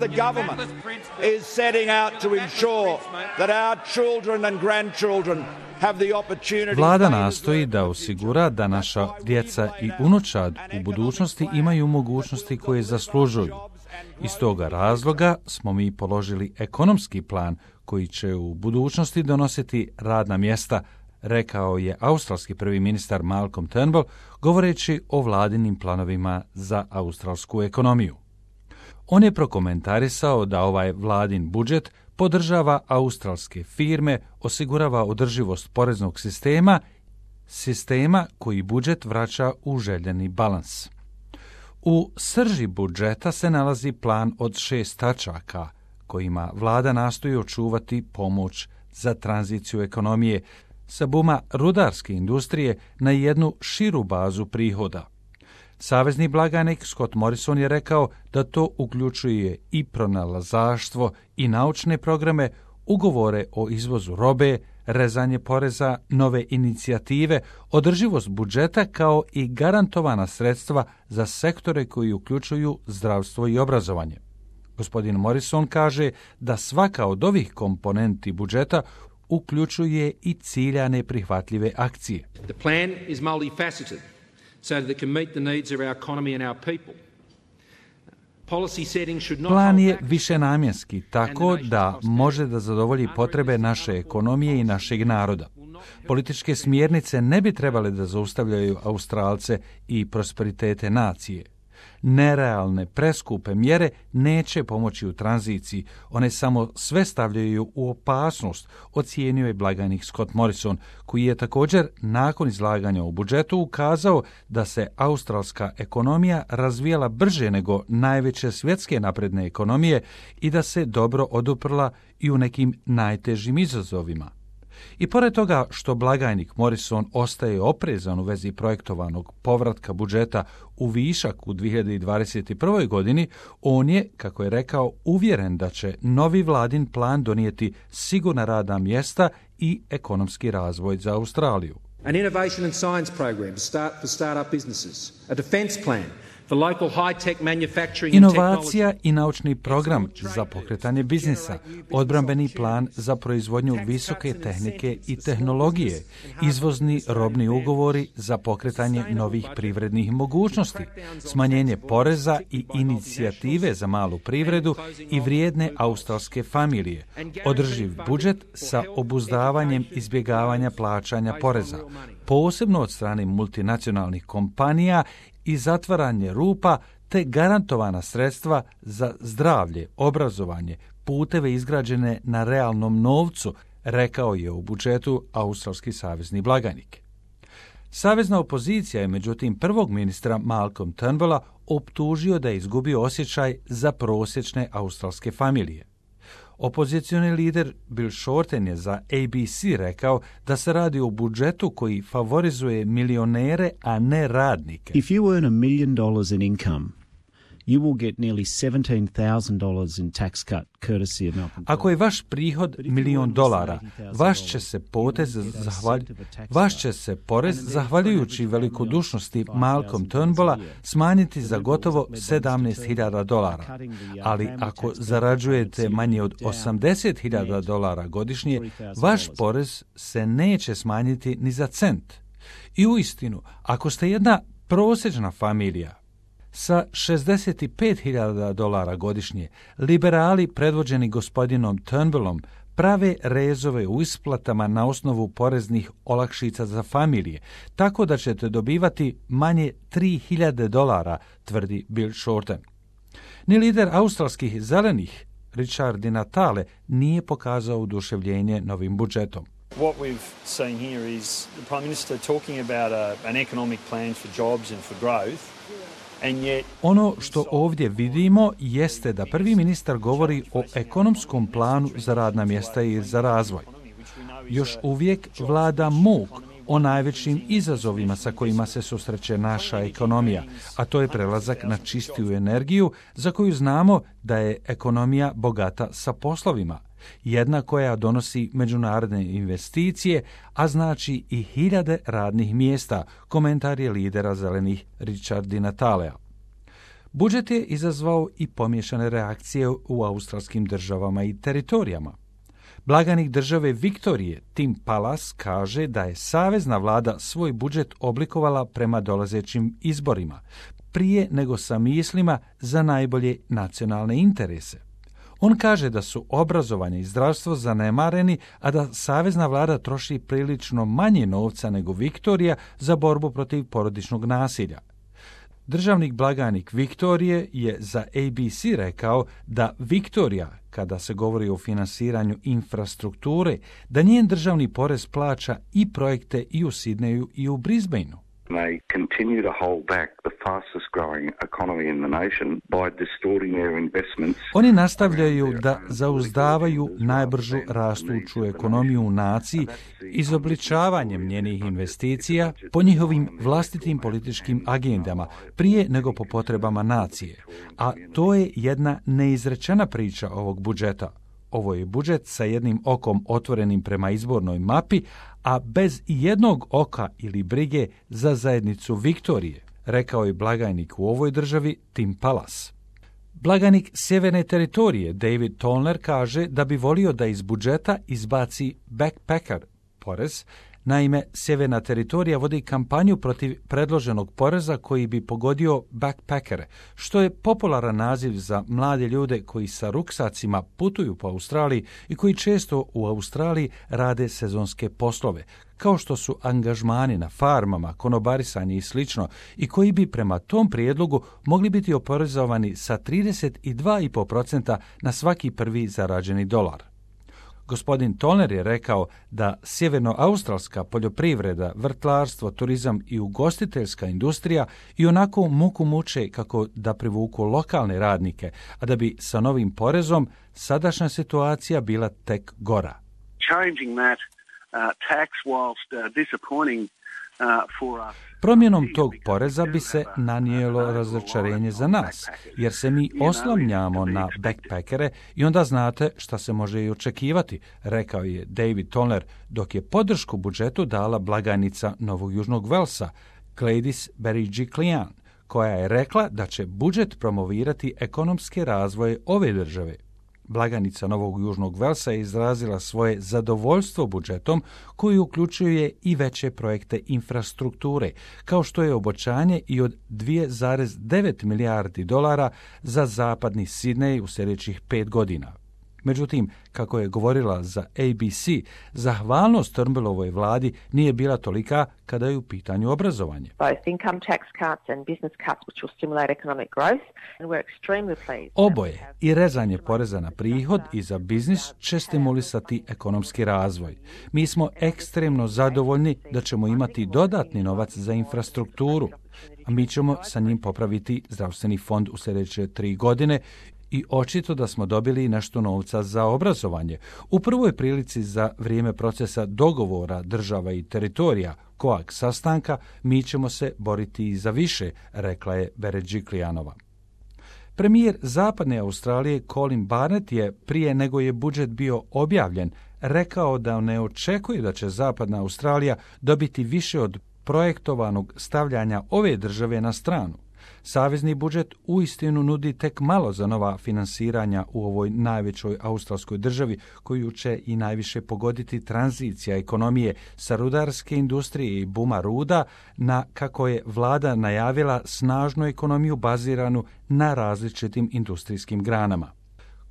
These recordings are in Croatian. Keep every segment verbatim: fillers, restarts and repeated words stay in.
The government is setting out to ensure that our children and grandchildren have the opportunity. Vlada nastoji da osigura da naša djeca i unučad u budućnosti imaju mogućnosti koje zaslužuju. Iz toga razloga smo mi položili ekonomski plan koji će u budućnosti donositi radna mjesta, rekao je australski prvi ministar Malcolm Turnbull, govoreći o vladinim planovima za australsku ekonomiju. On je prokomentarisao da ovaj vladin budžet podržava australske firme, osigurava održivost poreznog sistema, sistema koji budžet vraća u željeni balans. U srži budžeta se nalazi plan od šest tačaka, kojima vlada nastoji očuvati pomoć za tranziciju ekonomije sa buma rudarske industrije na jednu širu bazu prihoda. Savezni blagajnik Scott Morrison je rekao da to uključuje i pronalazaštvo i naučne programe, ugovore o izvozu robe, rezanje poreza, nove inicijative, održivost budžeta kao i garantovana sredstva za sektore koji uključuju zdravstvo i obrazovanje. Gospodin Morrison kaže da svaka od ovih komponenti budžeta uključuje i ciljane prihvatljive akcije. The plan is multifaceted so that it can meet the needs of our economy and our people. Plan je višenamjenski, tako da može da zadovolji potrebe naše ekonomije i našeg naroda. Političke smjernice ne bi trebale da zaustavljaju Australce i prosperitete nacije. Nerealne, preskupe mjere neće pomoći u tranziciji, one samo sve stavljaju u opasnost, ocijenio je blagajnik Scott Morrison, koji je također nakon izlaganja u budžetu ukazao da se australska ekonomija razvijala brže nego najveće svjetske napredne ekonomije i da se dobro oduprla i u nekim najtežim izazovima. I pored toga što blagajnik Morrison ostaje oprezan u vezi projektovanog povratka budžeta u višak u dvije hiljade dvadeset prvoj. godini, on je, kako je rekao, uvjeren da će novi vladin plan donijeti sigurna radna mjesta i ekonomski razvoj za Australiju. An innovation and science program to start for startup businesses, a defense plan. Inovacija i naučni program za pokretanje biznisa, odbrambeni plan za proizvodnju visoke tehnike i tehnologije, izvozni robni ugovori za pokretanje novih privrednih mogućnosti, smanjenje poreza i inicijative za malu privredu i vrijedne australske familije, održiv budžet sa obuzdavanjem izbjegavanja plaćanja poreza, posebno od strane multinacionalnih kompanija i zatvaranje rupa te garantovana sredstva za zdravlje, obrazovanje, puteve izgrađene na realnom novcu, rekao je u budžetu australski savezni blagajnik. Savezna opozicija je međutim prvog ministra Malcolm Turnbulla optužio da je izgubio osjećaj za prosječne australske familije. Opozicioni lider Bill Shorten je za A B C rekao da se radi o budžetu koji favorizuje milionere, a ne radnike. If you earn a million dollars in income, you will get nearly seventeen thousand dollars in tax cut courtesy of Malcolm. Ako je vaš prihod milion dolara, vaš će se potez zahvalj... vaš će se porez zahvaljujući velikodušnosti Malcolm Turnbulla smanjiti za gotovo sedamnaest hiljada dolara. Ali ako zarađujete manje od osamdeset hiljada dolara godišnje, vaš porez se neće smanjiti ni za cent. I uistinu, ako ste jedna prosječna familija sa šezdeset pet hiljada dolara godišnje, liberali predvođeni gospodinom Turnbullom prave rezove u isplatama na osnovu poreznih olakšica za familije, tako da ćete dobivati manje tri hiljade dolara, tvrdi Bill Shorten. Ni lider australskih zelenih, Richard Di Natale, nije pokazao oduševljenje novim budžetom. What we've seen here is the Prime Minister talking about a, an economic plan for jobs and for growth. Ono što ovdje vidimo jeste da prvi ministar govori o ekonomskom planu za radna mjesta i za razvoj. Još uvijek vlada muk o najvećim izazovima sa kojima se susreće naša ekonomija, a to je prelazak na čistiju energiju za koju znamo da je ekonomija bogata sa poslovima. Jedna koja donosi međunarodne investicije, a znači i hiljade radnih mjesta, komentar je lidera zelenih Richard Di Natalea. Budžet je izazvao i pomiješane reakcije u australskim državama i teritorijama. Blaganik države Viktorije, Tim Pallas, kaže da je savezna vlada svoj budžet oblikovala prema dolazećim izborima, prije nego sa mislima za najbolje nacionalne interese. On kaže da su obrazovanje i zdravstvo zanemareni, a da savezna vlada troši prilično manje novca nego Viktorija za borbu protiv porodičnog nasilja. Državnik blagajnik Viktorije je za A B C rekao da Viktorija, kada se govori o finansiranju infrastrukture, da njen državni porez plaća i projekte i u Sidneju i u Brisbaneu. They continue to hold back the fastest growing economy in the nation by distorting their investments. Oni nastavljaju da zauzdavaju najbržu rastuću ekonomiju u naciji izobličavanjem njenih investicija po njihovim vlastitim političkim agendama prije nego po potrebama nacije. A to je jedna neizrečena priča ovog budžeta. Ovo je budžet sa jednim okom otvorenim prema izbornoj mapi, a bez jednog oka ili brige za zajednicu Viktorije, rekao je blagajnik u ovoj državi Tim Pallas. Blagajnik Sjeverne teritorije David Tollner kaže da bi volio da iz budžeta izbaci backpacker porez. Naime, Sjeverna teritorija vodi kampanju protiv predloženog poreza koji bi pogodio backpackere, što je popularan naziv za mlade ljude koji sa ruksacima putuju po Australiji i koji često u Australiji rade sezonske poslove, kao što su angažmani na farmama, konobarisanje i slično, i koji bi prema tom prijedlogu mogli biti oporezovani sa trideset dva zarez pet posto na svaki prvi zarađeni dolar. Gospodin Tollner je rekao da sjevernoaustralska poljoprivreda, vrtlarstvo, turizam i ugostiteljska industrija i onako muku muče kako da privuku lokalne radnike, a da bi sa novim porezom sadašnja situacija bila tek gora. Changing that uh, tax whilst uh, disappointing uh, for us. Promjenom tog poreza bi se nanijelo razočarenje za nas, jer se mi oslanjamo na backpackere i onda znate šta se može i očekivati, rekao je David Tollner, dok je podršku budžetu dala blagajnica Novog Južnog Velsa, Gladys Berejiklian, koja je rekla da će budžet promovirati ekonomske razvoje ove države. Blagajnica Novog Južnog Velsa je izrazila svoje zadovoljstvo budžetom koji uključuje i veće projekte infrastrukture, kao što je obećanje i od dvije zarez devet milijardi dolara za zapadni Sidnej u sljedećih pet godina. Međutim, kako je govorila za A B C, zahvalnost Turnbullovoj vladi nije bila tolika kada je u pitanju obrazovanje. Oboje, i rezanje poreza na prihod i za biznis, će stimulisati ekonomski razvoj. Mi smo ekstremno zadovoljni da ćemo imati dodatni novac za infrastrukturu, a mi ćemo sa njim popraviti zdravstveni fond u sljedeće tri godine i očito da smo dobili nešto novca za obrazovanje. U prvoj prilici za vrijeme procesa dogovora država i teritorija, koak sastanka, mi ćemo se boriti i za više, rekla je Berejiklianova. Premijer Zapadne Australije Colin Barnett je, prije nego je budžet bio objavljen, rekao da ne očekuje da će Zapadna Australija dobiti više od projektovanog stavljanja ove države na stranu. Savezni budžet uistinu nudi tek malo za nova finansiranja u ovoj najvećoj australskoj državi, koju će i najviše pogoditi tranzicija ekonomije sa rudarske industrije i buma ruda na, kako je vlada najavila, snažnu ekonomiju baziranu na različitim industrijskim granama.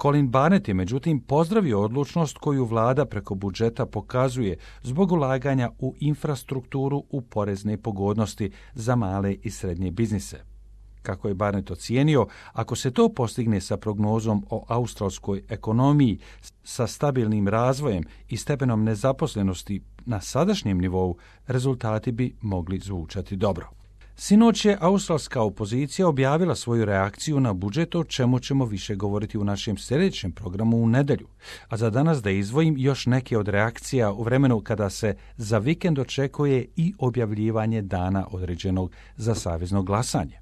Colin Barnett je međutim pozdravio odlučnost koju vlada preko budžeta pokazuje zbog ulaganja u infrastrukturu u porezne pogodnosti za male i srednje biznise. Kako je Barnett ocijenio, ako se to postigne sa prognozom o australskoj ekonomiji, sa stabilnim razvojem i stepenom nezaposlenosti na sadašnjem nivou, rezultati bi mogli zvučati dobro. Sinoć je australska opozicija objavila svoju reakciju na budžet, o čemu ćemo više govoriti u našem sljedećem programu u nedjelju. A za danas da izdvojim još neke od reakcija u vremenu kada se za vikend očekuje i objavljivanje dana određenog za savezno glasanje.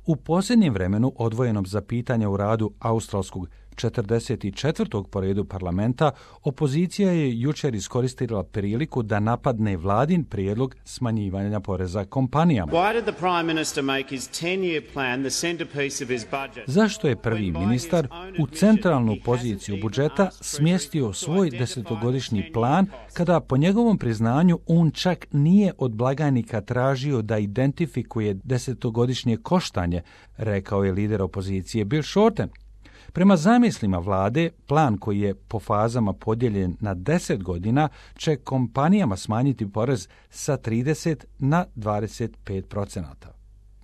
U posljednjem vremenu, odvojenom za pitanja u radu australskog četrdeset četvrtog po redu parlamenta, opozicija je jučer iskoristila priliku da napadne vladin prijedlog smanjivanja poreza kompanijama. Zašto je prvi ministar u centralnu poziciju budžeta smjestio svoj desetogodišnji plan kada po njegovom priznanju on čak nije od blagajnika tražio da identifikuje desetogodišnje koštanje, rekao je lider opozicije Bill Shorten. Prema zamislima vlade, plan koji je po fazama podijeljen na deset godina će kompanijama smanjiti porez sa trideset na dvadeset pet procenata.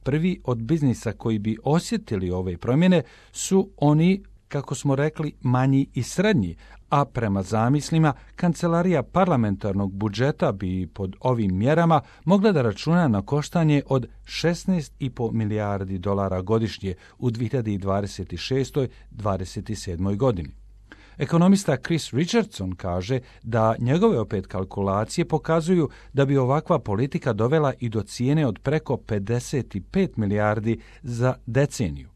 Prvi od biznisa koji bi osjetili ove promjene su oni, kako smo rekli, manji i srednji, a prema zamislima Kancelarija parlamentarnog budžeta bi pod ovim mjerama mogla da računa na koštanje od šesnaest i po milijardi dolara godišnje u dvije hiljade dvadeset šestoj do dvadeset sedmoj godini. Ekonomista Chris Richardson kaže da njegove opet kalkulacije pokazuju da bi ovakva politika dovela i do cijene od preko pedeset pet milijardi za deceniju.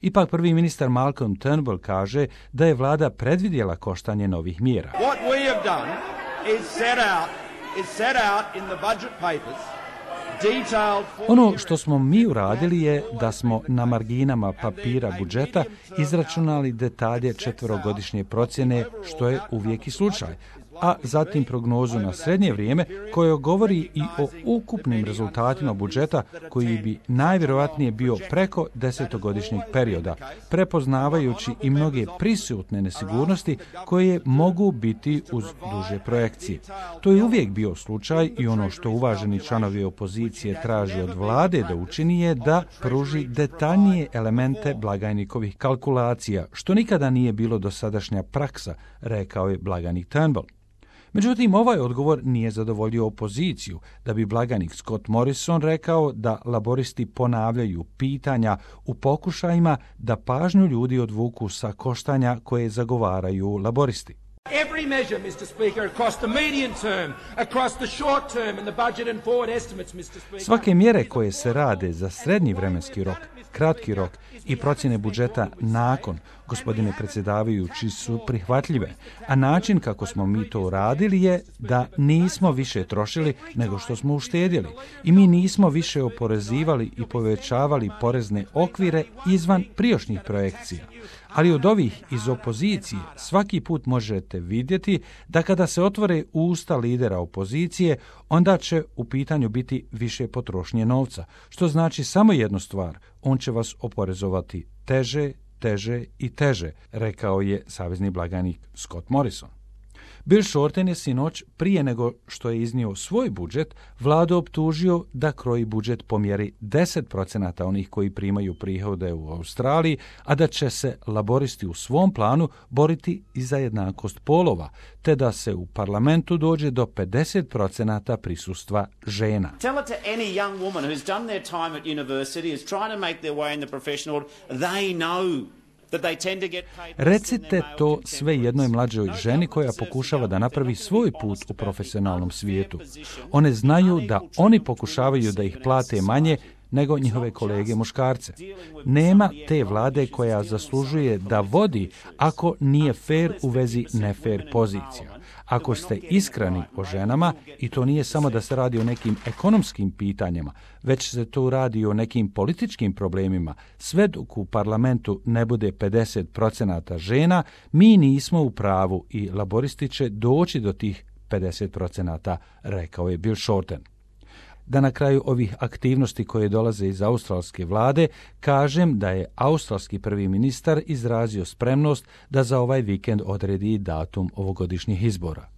Ipak prvi ministar Malcolm Turnbull kaže da je vlada predvidjela koštanje novih mjera. What we have done is set out, is set out in the budget papers. Ono što smo mi uradili je da smo na marginama papira budžeta izračunali detalje četverogodišnje procjene, što je uvijek i slučaj, a zatim prognozu na srednje vrijeme koja govori i o ukupnim rezultatima budžeta koji bi najvjerojatnije bio preko desetogodišnjeg perioda, prepoznavajući i mnoge prisutne nesigurnosti koje mogu biti uz duže projekcije. To je uvijek bio slučaj i ono što uvaženi članovi opozicije traži od vlade da učini je da pruži detaljnije elemente blagajnikovih kalkulacija, što nikada nije bilo dosadašnja praksa, rekao je blagajnik Turnbull. Međutim, ovaj odgovor nije zadovoljio opoziciju, da bi blagajnik Scott Morrison rekao da laboristi ponavljaju pitanja u pokušajima da pažnju ljudi odvuku sa koštanja koje zagovaraju laboristi. Every measure, Mister Speaker, across the medium term, across the short term and the budget and forward estimates, Mister Speaker. Svake mjere koje se rade za srednji vremenski rok, kratki rok i procjene budžeta nakon, gospodine predsjedavajući, su prihvatljive, a način kako smo mi to uradili je da nismo više trošili nego što smo uštedjeli i mi nismo više oporezivali i povećavali porezne okvire izvan prijašnjih projekcija. Ali od ovih iz opozicije svaki put možete vidjeti da kada se otvore usta lidera opozicije, onda će u pitanju biti više potrošnje novca, što znači samo jednu stvar, on će vas oporezovati teže, teže i teže, rekao je savezni blagajnik Scott Morrison. Bill Shorten je sinoć, prije nego što je iznio svoj budžet, vladu optužio da kroji budžet po mjeri deset procenata onih koji primaju prihode u Australiji, a da će se laboristi u svom planu boriti i za jednakost polova, te da se u parlamentu dođe do pedeset procenata prisustva žena. Tell it to any young woman who's done their time at university, is trying to make their way in the professional world, they know. Recite to sve jednoj mlađoj ženi koja pokušava da napravi svoj put u profesionalnom svijetu. One znaju da oni pokušavaju da ih plate manje nego njihove kolege muškarce. Nema te vlade koja zaslužuje da vodi ako nije fair u vezi nefair pozicija. Ako ste iskreni o ženama, i to nije samo da se radi o nekim ekonomskim pitanjima, već se to radi o nekim političkim problemima, sve dok u parlamentu ne bude pedeset procenata žena, mi nismo u pravu i laboristi će doći do tih pedeset procenata, rekao je Bill Shorten. Da na kraju ovih aktivnosti koje dolaze iz australske vlade, kažem da je australski prvi ministar izrazio spremnost da za ovaj vikend odredi datum ovogodišnjih izbora.